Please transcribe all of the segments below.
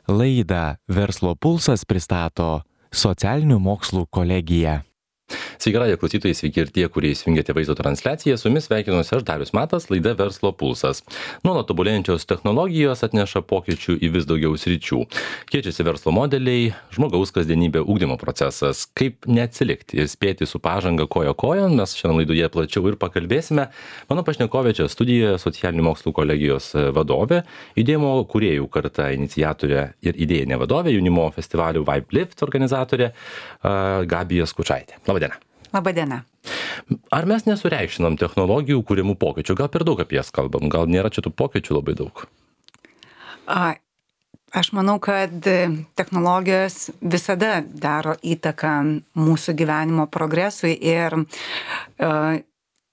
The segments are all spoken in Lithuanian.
Laidą Verslo pulsas pristato Socialinių mokslų kolegija. Sveiki, radijo klausytojai, sveiki ir tie, kurie įsijungėte vaizdo transliaciją. Su jumis sveikinuosi aš, Darius Matas, laida Verslo pulsas. Nuolat tobulėjančios technologijos atneša pokyčių į vis daugiau sričių. Keičiasi verslo modeliai, žmogaus kasdienybė, ugdymo procesas. Kaip neatsilikti ir spėti su pažanga koja kojon, mes šiandien laidoje plačiau ir pakalbėsime. Mano pašnekovė čia studijoje Socialinių mokslų kolegijos vadovė, judėjimo kūrėjų karta iniciatorė ir idėjinė vadovė, jaunimo festivalių Vibe Lift organizatorė Gabija Skučaitė. Labadiena. Labadiena. Ar mes nesureikšinam technologijų kūrimų pokyčių? Gal per daug apie jas kalbam? Gal nėra čia tų pokyčių labai daug? Aš manau, kad technologijos visada daro įtaką mūsų gyvenimo progresui ir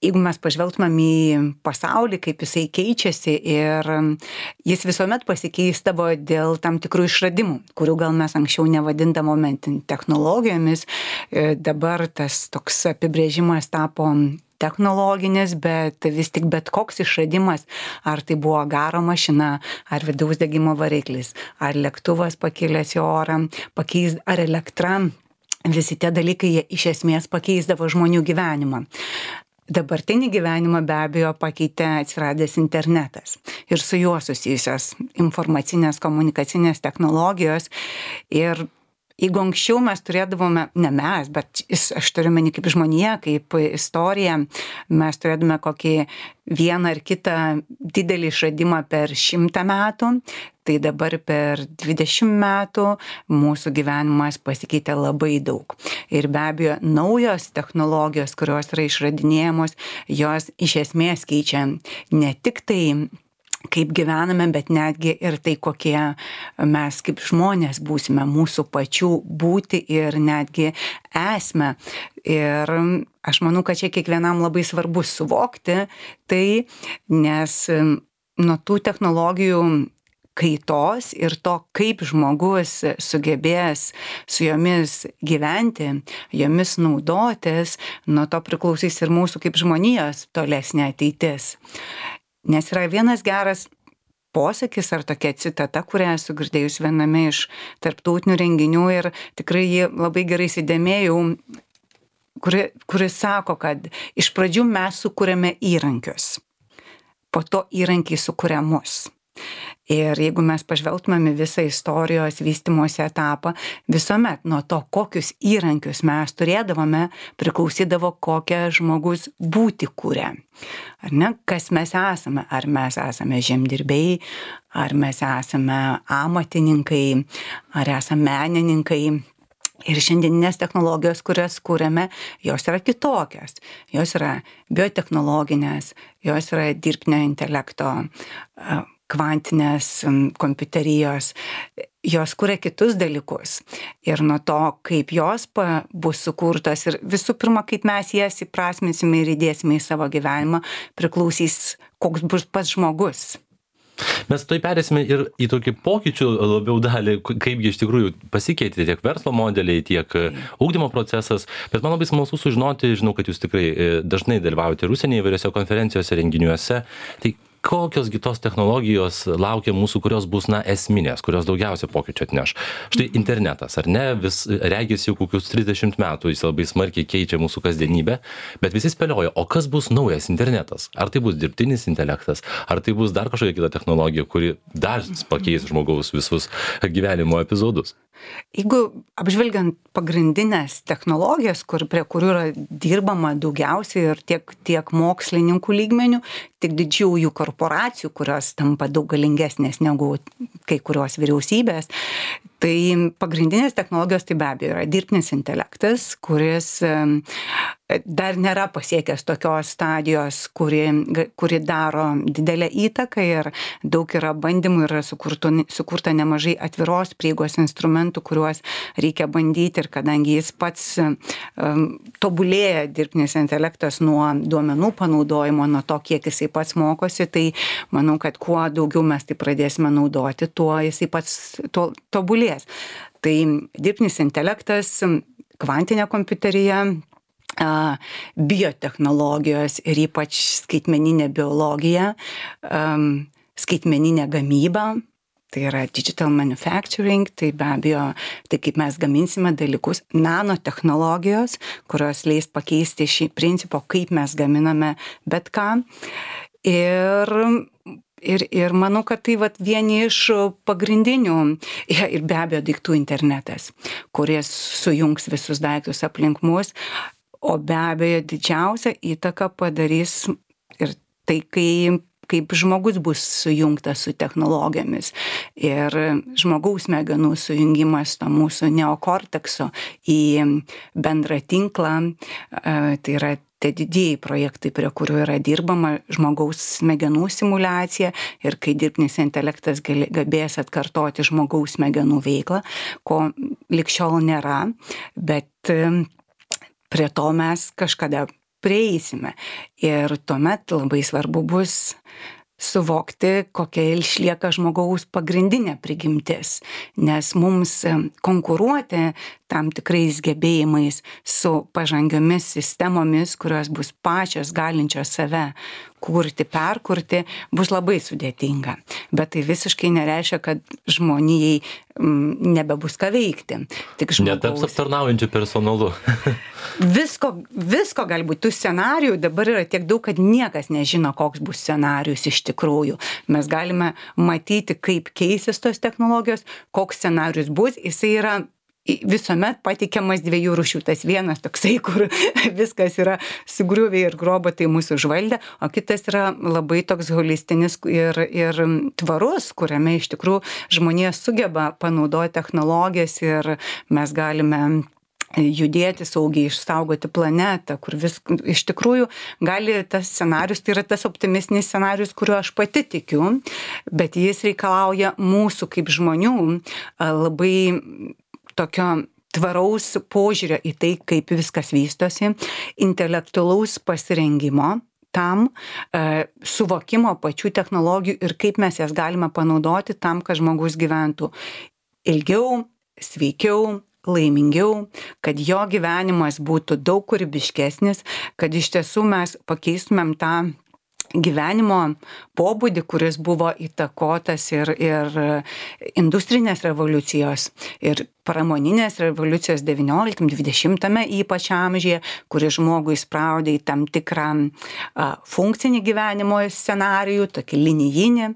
jeigu mes pažvelgtumėm į pasaulį, kaip jisai keičiasi ir jis visuomet pasikeisdavo dėl tam tikrų išradimų, kurių gal mes anksčiau nevadindavome technologijomis, dabar tas toks apibrėžimas tapo technologinis, bet vis tik bet koks išradimas, ar tai buvo garo mašina, ar vidaus degimo variklis, ar lėktuvas pakilęs į orą, ar elektra, visi tie dalykai jie iš esmės pakeisdavo žmonių gyvenimą. Dabartinį gyvenimą be abejo pakeitė atsiradęs internetas ir su juo susijusios informacinės komunikacinės technologijos. Ir jeigu anksčiau mes turėdavome, ne mes, bet aš turiu meni kaip žmonija, kaip istorija, mes turėdame kokį vieną ar kitą didelį išradimą per 100 metų, tai dabar per 20 metų mūsų gyvenimas pasikeitė labai daug. Ir be abejo, naujos technologijos, kurios yra išradinėjamos, jos iš esmės keičia ne tik tai, kaip gyvename, bet netgi ir tai, kokie mes kaip žmonės būsime, mūsų pačių būti ir netgi esmę. Ir aš manau, kad čia kiekvienam labai svarbu suvokti tai, nes nuo tų technologijų kaitos ir to, kaip žmogus sugebės su jomis gyventi, jomis naudotis, nuo to priklausys ir mūsų kaip žmonijos tolesnė ateitis. Nes yra vienas geras posakis ar tokia citata, kurią esu girdėjus viename iš tarptautinių renginių ir tikrai jį labai gerai įsidėmėjau, kuris sako, kad iš pradžių mes sukūrėme įrankius, po to įrankiai sukūrė mus. Ir jeigu mes pažvelgtumėm į visą istorijos vystymosi etapą, visuomet nuo to, kokius įrankius mes turėdavome, priklausydavo, kokią žmogus būti kūrė. Ar ne? Kas mes esame? Ar mes esame žemdirbiai, ar mes esame amatininkai, ar esame menininkai. Ir šiandieninės technologijos, kurias kūrėme, jos yra kitokios. Jos yra biotechnologinės, jos yra dirbtinio intelekto, kvantinės kompiuterijos, jos kuria kitus dalykus. Ir nuo to, kaip jos bus sukurtos ir visų pirma, kaip mes jas įprasminsime ir įdėsime į savo gyvenimą, priklausys, koks bus pats žmogus. Mes tai perėsime ir į tokį pokyčių labiau dalį, kaipgi iš tikrųjų pasikeitė tiek verslo modeliai, tiek ugdymo procesas, bet man labai smalsu sužinoti, žinau, kad jūs tikrai dažnai dalyvaujate ir užsienyje įvairiose konferencijose, renginiuose, tai kokiosgi tos technologijos laukia mūsų, kurios bus, esminės, kurios daugiausia pokyčių atneš. Štai internetas, ar ne, vis regis jau kokius 30 metų jis labai smarkiai keičia mūsų kasdienybę, bet visi spėlioja, o kas bus naujas internetas? Ar tai bus dirbtinis intelektas, ar tai bus dar kažkokia kita technologija, kuri dar pakeis žmogaus visus gyvenimo epizodus? Jeigu apžvelgiant pagrindinės technologijas, prie kurių yra dirbama daugiausiai ir tiek mokslininkų lygmenių, tiek didžiųjų korporacijų, kurios tampa daug galingesnės negu kai kurios vyriausybės, tai pagrindinės technologijos tai be abejo yra dirbtinis intelektas, kuris dar nėra pasiekęs tokios stadijos, kuri daro didelę įtaką ir daug yra bandymų ir sukurta nemažai atviros prieigos instrumentų, kuriuos reikia bandyti ir kadangi jis pats tobulėja dirbtinis intelektas nuo duomenų panaudojimo, nuo to, kiek jisai pats mokosi, tai manau, kad kuo daugiau mes tai pradėsime naudoti, tuo jisai pats tobulės. Tai dirbtinis intelektas, kvantinė kompiuterija, biotechnologijos ir ypač skaitmeninė biologija, skaitmeninė gamyba, tai yra digital manufacturing, tai be abejo, tai kaip mes gaminsime dalykus, nanotechnologijos, kurios leis pakeisti šį principą, kaip mes gaminame bet ką. Ir manau, kad tai vieni iš pagrindinių, ir be abejo daiktų internetas, kuris sujungs visus daiktus aplink mus, o be abejo didžiausią įtaką padarys ir tai, kaip žmogus bus sujungtas su technologijomis. Ir žmogaus smegenų sujungimas to mūsų neokortekso į bendrą tinklą, tai yra tie didieji projektai, prie kurių yra dirbama, žmogaus smegenų simuliacija, ir kai dirbtinis intelektas gebės atkartoti žmogaus smegenų veiklą, ko ligšiol nėra, bet prie to mes kažkada prieisime. Ir tuomet labai svarbu bus suvokti, kokia išlieka žmogaus pagrindinė prigimtis, nes mums konkuruoti tam tikrais gebėjimais su pažangiomis sistemomis, kurios bus pačios galinčios save kurti, perkurti, bus labai sudėtinga. Bet tai visiškai nereiškia, kad žmonijai nebebus ką veikti. Tik netaps aptarnaujančiu personalu. Visko gali būti. Tų scenarijų dabar yra tiek daug, kad niekas nežino, koks bus scenarijus iš tikrųjų. Mes galime matyti, kaip keisis tos technologijos, koks scenarijus bus. Jisai yra visuomet pateikiamas dviejų rūšių. Tas vienas toksai, kur viskas yra sugriuvę ir robotai mūsų užvaldė, o kitas yra labai toks holistinis ir tvarus, kuriame iš tikrųjų žmonija sugeba panaudoti technologijas ir mes galime judėti saugiai, išsaugoti planetą, kur iš tikrųjų gali tas scenarius, tai yra tas optimistinis scenarius, kuriuo aš pati tikiu, bet jis reikalauja mūsų kaip žmonių labai tokio tvaraus požiūrio į tai, kaip viskas vystosi, intelektualaus pasirengimo tam, suvokimo pačių technologijų ir kaip mes jas galime panaudoti tam, kad žmogus gyventų ilgiau, sveikiau, laimingiau, kad jo gyvenimas būtų daug kūrybiškesnis, kad iš tiesų mes pakeistumėm tą gyvenimo pobūdį, kuris buvo įtakotas ir industrinės revoliucijos, ir pramoninės revoliucijos 19-20 ypač amžiuje, kuri žmogų įspraudė į tam tikrą funkcinį gyvenimo scenarijų, tokį linijinį.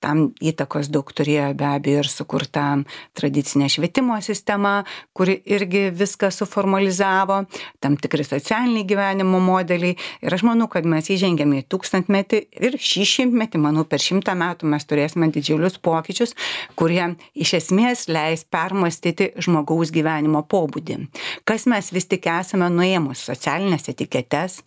Tam įtakos daug turėjo be abejo ir sukurta tradicinė švietimo sistema, kuri irgi viską suformalizavo, tam tikri socialiniai gyvenimo modeliai. Ir aš manau, kad mes įžengėme į 1000-metį ir šį 100-metį, manau, per 100 metų mes turėsime didžiulius pokyčius, kurie iš esmės leis permastyti žmogaus gyvenimo pobūdį. Kas mes vis tik esame nuėmus socialinės etiketes,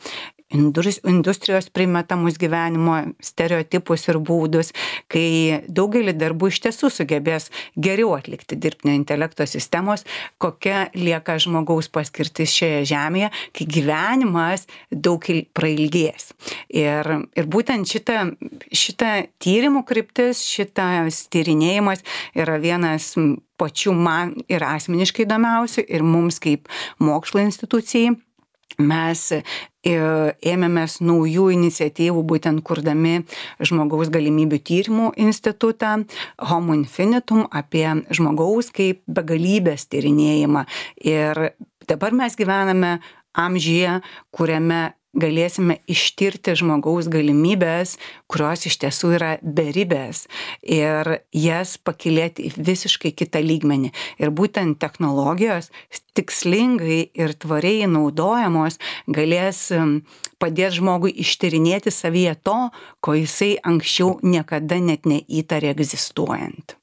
industrijos primetamus gyvenimo stereotipus ir būdus, kai daugelį darbų iš tiesų sugebės geriau atlikti dirbtinio intelekto sistemos, kokia lieka žmogaus paskirtis šioje žemėje, kai gyvenimas daug prailgės. Ir būtent šita tyrimų kryptis, šitas tyrinėjimas yra vienas pačių man ir asmeniškai įdomiausių ir mums kaip mokslo institucijai. Mes ėmėmės naujų iniciatyvų, būtent kurdami žmogaus galimybių tyrimų institutą Homo Infinitum apie žmogaus kaip begalybės tyrinėjimą. Ir dabar mes gyvename amžiuje, kuriame galėsime ištirti žmogaus galimybės, kurios iš tiesų yra beribės, ir jas pakilėti į visiškai kitą lygmenį. Ir būtent technologijos tikslingai ir tvariai naudojamos galės padėti žmogui ištyrinėti savyje to, ko jisai anksčiau niekada net neįtarė egzistuojant.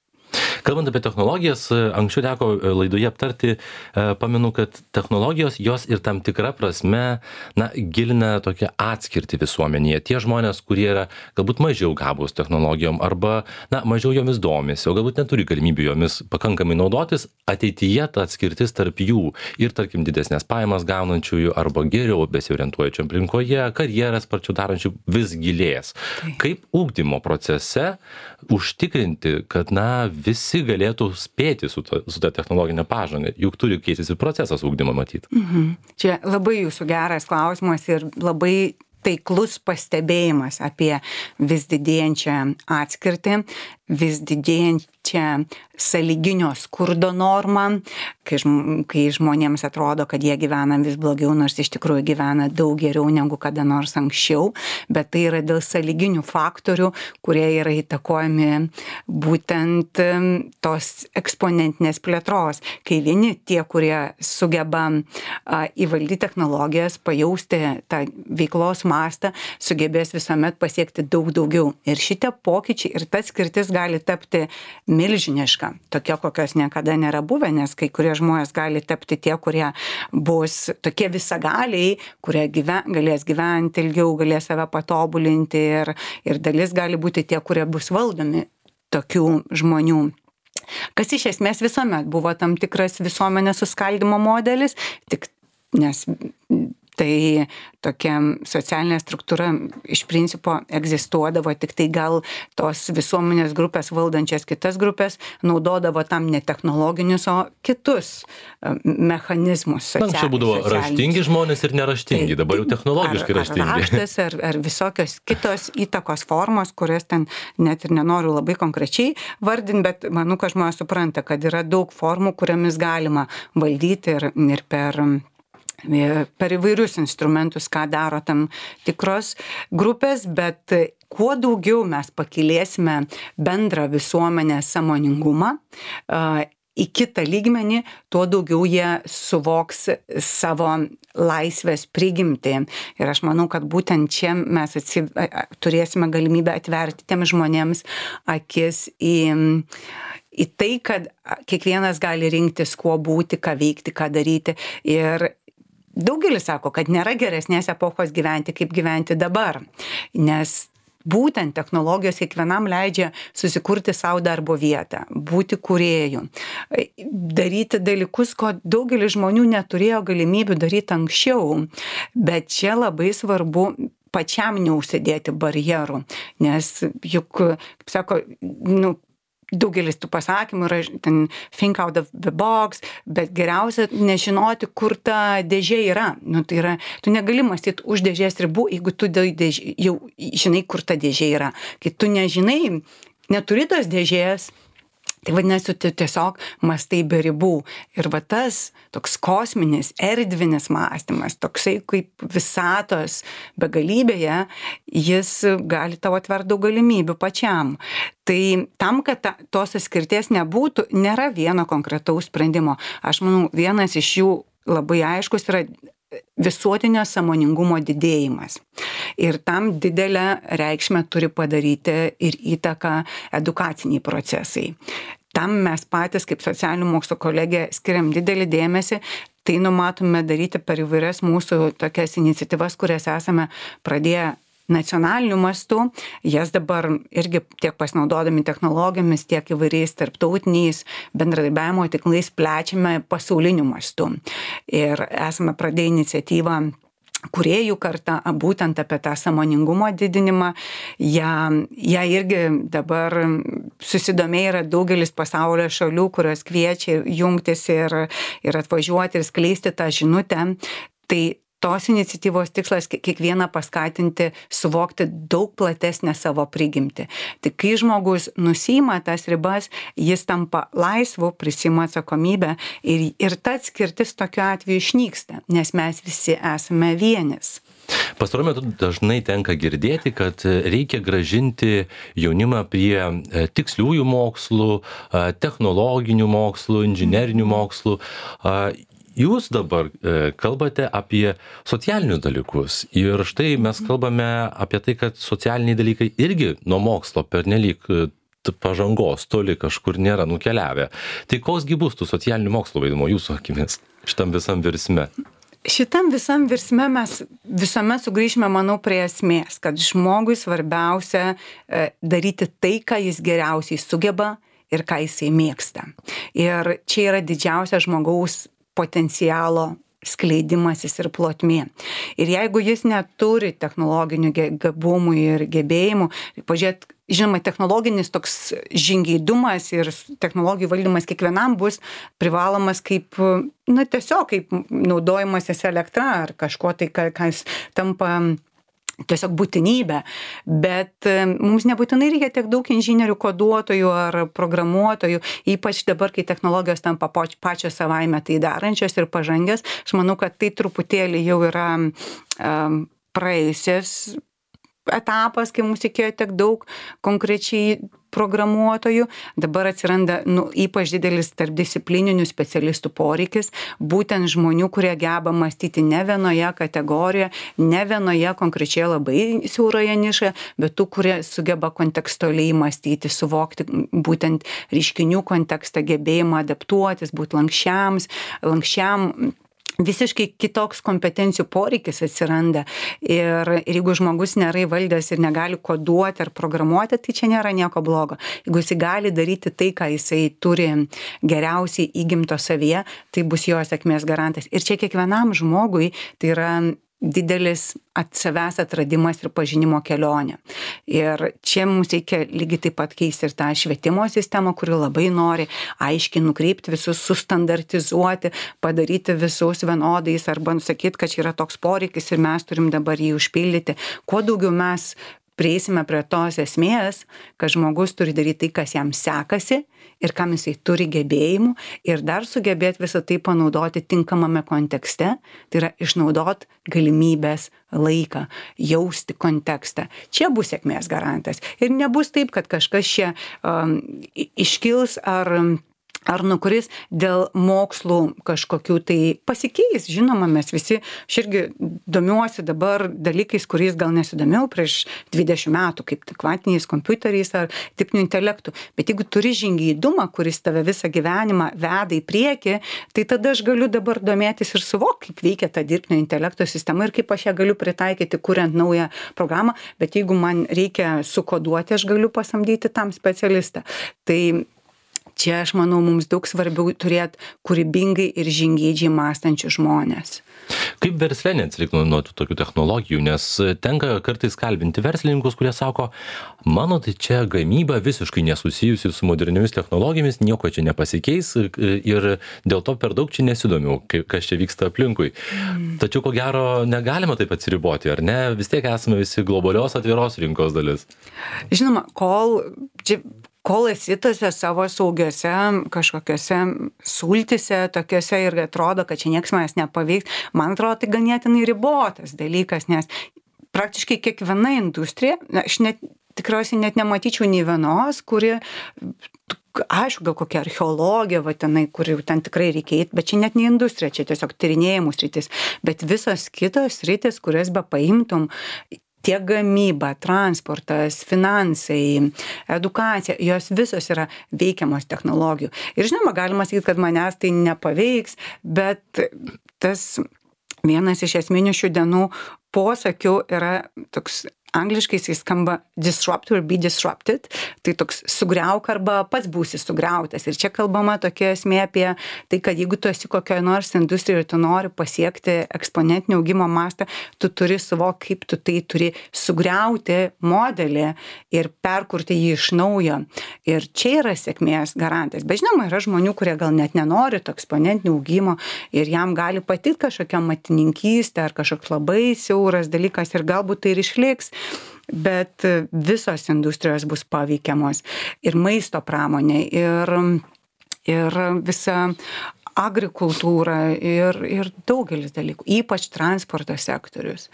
Kalbant apie technologijas, anksčiau teko laidoje aptarti, pamenu, kad technologijos jos ir tam tikra prasme, gilina tokią atskirtį visuomenėje. Tie žmonės, kurie yra galbūt mažiau gabūs technologijom arba, mažiau jomis domisi, o galbūt neturi galimybių jomis pakankamai naudotis, ateityje ta atskirtis tarp jų ir, tarkim, didesnės pajamas gaunančiųjų arba geriau besiorientuojančių aplinkoje, karjeras sparčiau darančių vis gilės. Kaip ugdymo procese užtikrinti, kad, visi galėtų spėti su ta technologinė pažanga, juk turi keistis ir procesas ugdymo matyti. Čia labai jūsų geras klausimas ir labai taiklus pastebėjimas apie vis didėjančią atskirtį. vis didėjančią sąlyginio skurdo normą, kai žmonėms atrodo, kad jie gyvena vis blogiau, nors iš tikrųjų gyvena daug geriau negu kada nors anksčiau, bet tai yra dėl sąlyginių faktorių, kurie yra įtakojami būtent tos eksponentinės plėtros, kai vieni tie, kurie sugeba įvaldyti technologijas, pajausti tą veiklos mastą, sugebės visuomet pasiekti daug daugiau. Ir šitie pokyčiai ir ta skirtis gali tapti milžiniška, tokia, kokios niekada nėra buvę, nes kai kurie žmonės gali tapti tie, kurie bus tokie visagaliai, kurie galės gyventi ilgiau, galės save patobulinti ir dalis gali būti tie, kurie bus valdomi tokių žmonių. Kas iš esmės visuomet buvo tam tikras visuomenės suskaldimo modelis, tik nes tai tokia socialinė struktūra iš principo egzistuodavo, tik tai gal tos visuomenės grupės valdančias kitas grupės naudodavo tam ne technologinius, o kitus mechanizmus. Anksčiau būdavo raštingi žmonės ir neraštingi, dabar jau technologiškai raštingi. Ar raštas, ar visokios kitos įtakos formos, kurias ten net ir nenoriu labai konkrečiai vardinti, bet manau, kad žmonės supranta, kad yra daug formų, kuriamis galima valdyti ir per įvairius instrumentus, ką daro tam tikros grupės, bet kuo daugiau mes pakilėsime bendrą visuomenės sąmoningumą į kitą lygmenį, tuo daugiau jie suvoks savo laisvės prigimtį. Ir aš manau, kad būtent čia mes turėsime galimybę atverti tiem žmonėms akis į tai, kad kiekvienas gali rinktis, kuo būti, ką veikti, ką daryti. Ir daugelis sako, kad nėra geresnės epochos gyventi, kaip gyventi dabar, nes būtent technologijos kiekvienam leidžia susikurti savo darbo vietą, būti kūrėju, daryti dalykus, ko daugelis žmonių neturėjo galimybių daryti anksčiau, bet čia labai svarbu pačiam neužsidėti barjerų, nes juk, kaip sako, daugelis tų pasakymų yra ten think out of the box, bet geriausia nežinoti, kur ta dėžė yra. Tai yra, tu negali mąstyti už dėžės ribų, jeigu tu jau žinai, kur ta dėžė yra. Kai tu nežinai, neturi tos dėžės, tai vadinasi, tu tiesiog mąstai be ribų. Ir va tas toks kosminis, erdvinis mąstymas, toksai kaip visatos begalybėje, jis gali tau atverti daug galimybių pačiam. Tai tam, kad tos atskirties nebūtų, nėra vieno konkretaus sprendimo. Aš manau, vienas iš jų labai aiškus yra visuotinio sąmoningumo didėjimas. Ir tam didelę reikšmę turi padaryti ir įtaką edukaciniai procesai. Tam mes patys, kaip socialinių mokslų kolegija, skiriam didelį dėmesį. Tai numatome daryti per įvairias mūsų tokias iniciatyvas, kurias esame pradėję nacionaliniu mastu. Jas dabar irgi tiek pasinaudodami technologijomis, tiek įvairiais tarptautiniais bendradarbiavimo tinklais plečiame pasauliniu mastu. Ir esame pradėję iniciatyvą kūrėjų kartą, būtent apie tą sąmoningumo didinimą. Ja irgi dabar susidomėję yra daugelis pasaulio šalių, kurios kviečia jungtis ir atvažiuoti ir skleisti tą žinutę. Tai tos iniciatyvos tikslas kiekvieną paskatinti suvokti daug platesnę savo prigimtį. Tik kai žmogus nusiima tas ribas, jis tampa laisvu, prisima atsakomybę ir ta atskirtis tokiu atveju išnyksta, nes mes visi esame vienis. Pastaruoju metu dažnai tenka girdėti, kad reikia grąžinti jaunimą prie tiksliųjų mokslų, technologinių mokslų, inžinerinių mokslų. Jūs dabar kalbate apie socialinius dalykus ir štai mes kalbame apie tai, kad socialiniai dalykai irgi nuo mokslo pernelyg pažangos toli kažkur nėra nukeliavę. Tai koksgi bus tų socialinių mokslų vaidmuo jūsų akimis šitam visam virsme? Šitam visam virsme mes visuomet sugrįžime, manau, prie esmės, kad žmogui svarbiausia daryti tai, ką jis geriausiai sugeba ir ką jisai mėgsta. Ir čia yra didžiausia žmogaus potencialo skleidimasis ir plotmė. Ir jeigu jis neturi technologinių gabumų ir gebėjimų, pažiūrėt, žinoma, technologinis toks žingeidumas ir technologijų valdymas kiekvienam bus privalomas kaip, tiesiog kaip naudojimasis elektra ar kažko tai, kas tampa tiesiog būtinybė, bet mums nebūtinai reikia tiek daug inžinierių, koduotojų ar programuotojų, ypač dabar, kai technologijos tampa pačios savaime tai darančios ir pažangios. Aš manau, kad tai truputėlį jau yra praėjusias etapas, kai mums reikėjo tiek daug konkrečiai programuotojų. Dabar atsiranda ypač didelis tarpdisciplininių specialistų poreikis, būtent žmonių, kurie geba mąstyti ne vienoje kategorijoje, ne vienoje konkrečioje labai siauroje nišoje, bet tų, kurie sugeba kontekstualiai mąstyti, suvokti būtent reiškinių kontekstą, gebėjimą adaptuotis, būti lanksčiam. Visiškai kitoks kompetencijų poreikis atsiranda ir jeigu žmogus nėra įvaldęs ir negali koduoti ar programuoti, tai čia nėra nieko blogo. Jeigu jisai gali daryti tai, ką jisai turi geriausiai įgimto savyje, tai bus jo sėkmės garantas. Ir čia kiekvienam žmogui tai yra didelis savęs atradimas ir pažinimo kelionė. Ir čia mums reikia lygiai taip pat keisti ir tą švietimo sistemą, kuri labai nori aiškiai nukreipti visus, sustandartizuoti, padaryti visus vienodais arba nusakyti, kad čia yra toks poreikis ir mes turim dabar jį užpildyti. Kuo daugiau mes prieisime prie tos esmės, kad žmogus turi daryti tai, kas jam sekasi ir kam jisai turi gebėjimų ir dar sugebėti visą tai panaudoti tinkamame kontekste, tai yra išnaudoti galimybės laiką, jausti kontekstą. Čia bus sėkmės garantas. Ir nebus taip, kad kažkas čia iškils ar nukuris dėl mokslų kažkokių tai pasikeis. Žinoma, mes visi, aš irgi domiuosi dabar dalykais, kuriais gal nesidomėjau prieš 20 metų, kaip kvantiniais kompiuteriais ar dirbtiniu intelektu. Bet jeigu turi žingeidumą, kuris tave visą gyvenimą veda į priekį, tai tada aš galiu dabar domėtis ir suvokti, kaip veikia ta dirbtinio intelekto sistema ir kaip aš ją galiu pritaikyti, kuriant naują programą. Bet jeigu man reikia sukoduoti, aš galiu pasamdyti tam specialistą. Tai čia, aš manau, mums daug svarbiau turėti kūrybingai ir žingeidžiai mąstančius žmonės. Kaip versle neatsilikti nuo tokių technologijų, nes tenka kartais kalbinti verslininkus, kurie sako, mano tai čia gamyba visiškai nesusijusi su moderniomis technologijomis, nieko čia nepasikeis ir dėl to per daug čia nesidomiu, kas čia vyksta aplinkui. Tačiau ko gero negalima taip atsiriboti, ar ne? Vis tiek esame visi globalios atviros rinkos dalis. Žinoma, kol esi tose savo saugiose kažkokiose sultise tokiose ir atrodo, kad čia nieks manęs nepaveiks, man atrodo, tai ganėtinai ribotas dalykas, nes praktiškai kiekviena industrija, aš tikriausiai net nematyčiau nei vienos, kuri, aišku, gal kokia archeologija, tenai, kuri ten tikrai reikia eiti, bet čia net ne industrija, čia tiesiog tyrinėjimų sritis, bet visos kitos sritis, kurias be paimtum, tiek gamyba, transportas, finansai, edukacija, jos visos yra veikiamos technologijų. Ir žinoma, galima sakyti, kad manęs tai nepaveiks, bet tas vienas iš esminių šių dienų posakių yra toks, angliškai jis skamba disrupt or be disrupted, tai toks sugriauk arba pats būsi sugriautas. Ir čia kalbama tokia esmė apie tai, kad jeigu tu esi kokioje nors industrijoje ir tu nori pasiekti eksponentinio augimo mastą, tu turi suvokti, kaip tu tai turi sugriauti modelį ir perkurti jį iš naujo. Ir čia yra sėkmės garantas. Bet žinoma, yra žmonių, kurie gal net nenori to eksponentinio augimo ir jam gali patikti kažkokia matininkystė ar kažkoks labai siauras dalykas ir galbūt tai ir išliks. Bet visos industrijos bus paveikiamos ir maisto pramonė, ir visa agrikultūra, ir daugelis dalykų, ypač transporto sektorius.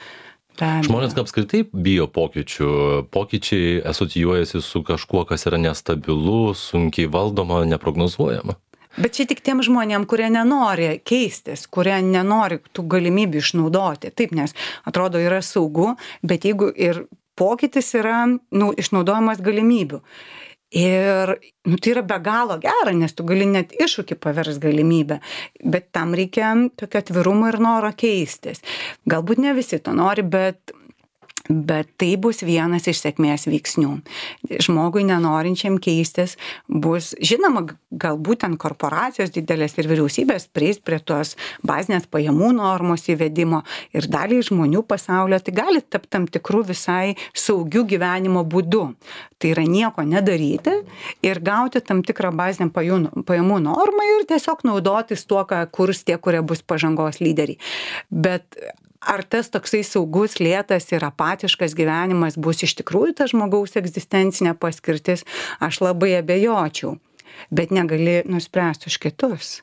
Žmonės apskritai bijo pokyčių. Pokyčiai asocijuojasi su kažkuo, kas yra nestabilu, sunkiai valdoma, neprognozuojama. Bet čia tik tiem žmonėm, kurie nenori keistis, kurie nenori tų galimybių išnaudoti. Taip, nes atrodo yra saugu, bet jeigu ir pokytis yra išnaudojimas galimybių. Ir tai yra be galo gera, nes tu gali net iššūkį paversti galimybę, bet tam reikia tokio atvirumo ir noro keistis. Galbūt ne visi to nori, bet tai bus vienas iš sėkmės veiksnių. Žmogui nenorinčiam keistis bus, žinoma, galbūt ten korporacijos didelės ir vyriausybės prieis prie tos bazinės pajamų normos įvedimo ir daliai žmonių pasaulio tai gali tapti tam tikrų visai saugių gyvenimo būdų. Tai yra nieko nedaryti ir gauti tam tikrą bazinę pajamų normą ir tiesiog naudotis tuo, ką kurs tie, kurie bus pažangos lyderiai. Bet ar tas toksai saugus, lėtas ir apatiškas gyvenimas bus iš tikrųjų ta žmogaus egzistencinė paskirtis, aš labai abejočiau, bet negali nuspręsti už kitus.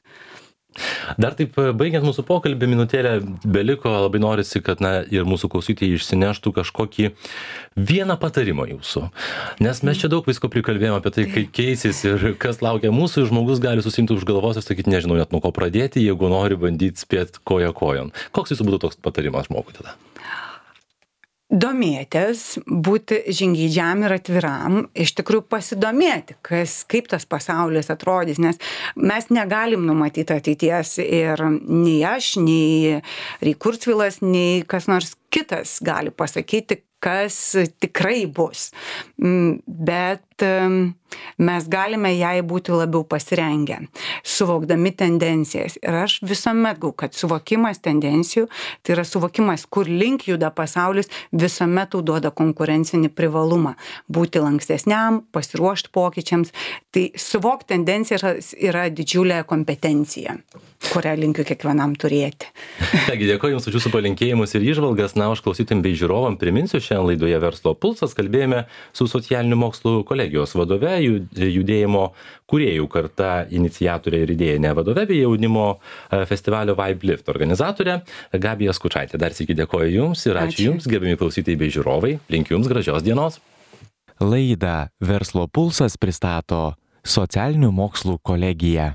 Dar taip, baigiant mūsų pokalbį, minutėlę beliko, labai norisi, kad ir mūsų klausytojai išsineštų kažkokį vieną patarimą jūsų. Nes mes čia daug visko prikalbėjome apie tai, kaip keisis ir kas laukia mūsų, ir žmogus gali susimti už galvos ir sakyti, nežinau net nuo ko pradėti, jeigu nori bandyti spėti koja kojon. Koks jūsų būtų toks patarimas žmogui tada? Domėtis, būti žingeidžiam ir atviram, iš tikrųjų pasidomėti, kaip tas pasaulis atrodys, nes mes negalim numatyti ateities ir nei aš, nei Kurzveilas, nei kas nors kitas gali pasakyti, kas tikrai bus. Bet mes galime jai būti labiau pasirengę, suvokdami tendencijas. Ir aš visuomet gau, kad suvokimas tendencijų, tai yra suvokimas, kur link juda pasaulis, visuomet tau duoda konkurencinį privalumą. Būti lankstesniam, pasiruošti pokyčiams. Tai suvokti tendencijas yra didžiulė kompetencija, kurią linkiu kiekvienam turėti. Taigi, dėkoju Jums už Jūsų palinkėjimus ir įžvalgas. Na, aš klausytojams bei žiūrovam priminsiu, šiandien laidoje Verslo pulsas kalbėjome su socialinių mokslų kolegijos vadove, judėjimo kūrėjų karta iniciatorė ir idėjinė vadove bei jaunimo festivalio Vibe Lift organizatorė Gabija Skučaitė. Dar sykį dėkoju Jums ir ačiū Jums, gerbiami klausytojai bei žiūrovai. Linkiu Jums gražios dienos. Laidą Verslo pulsas pristato socialinių mokslų kolegija.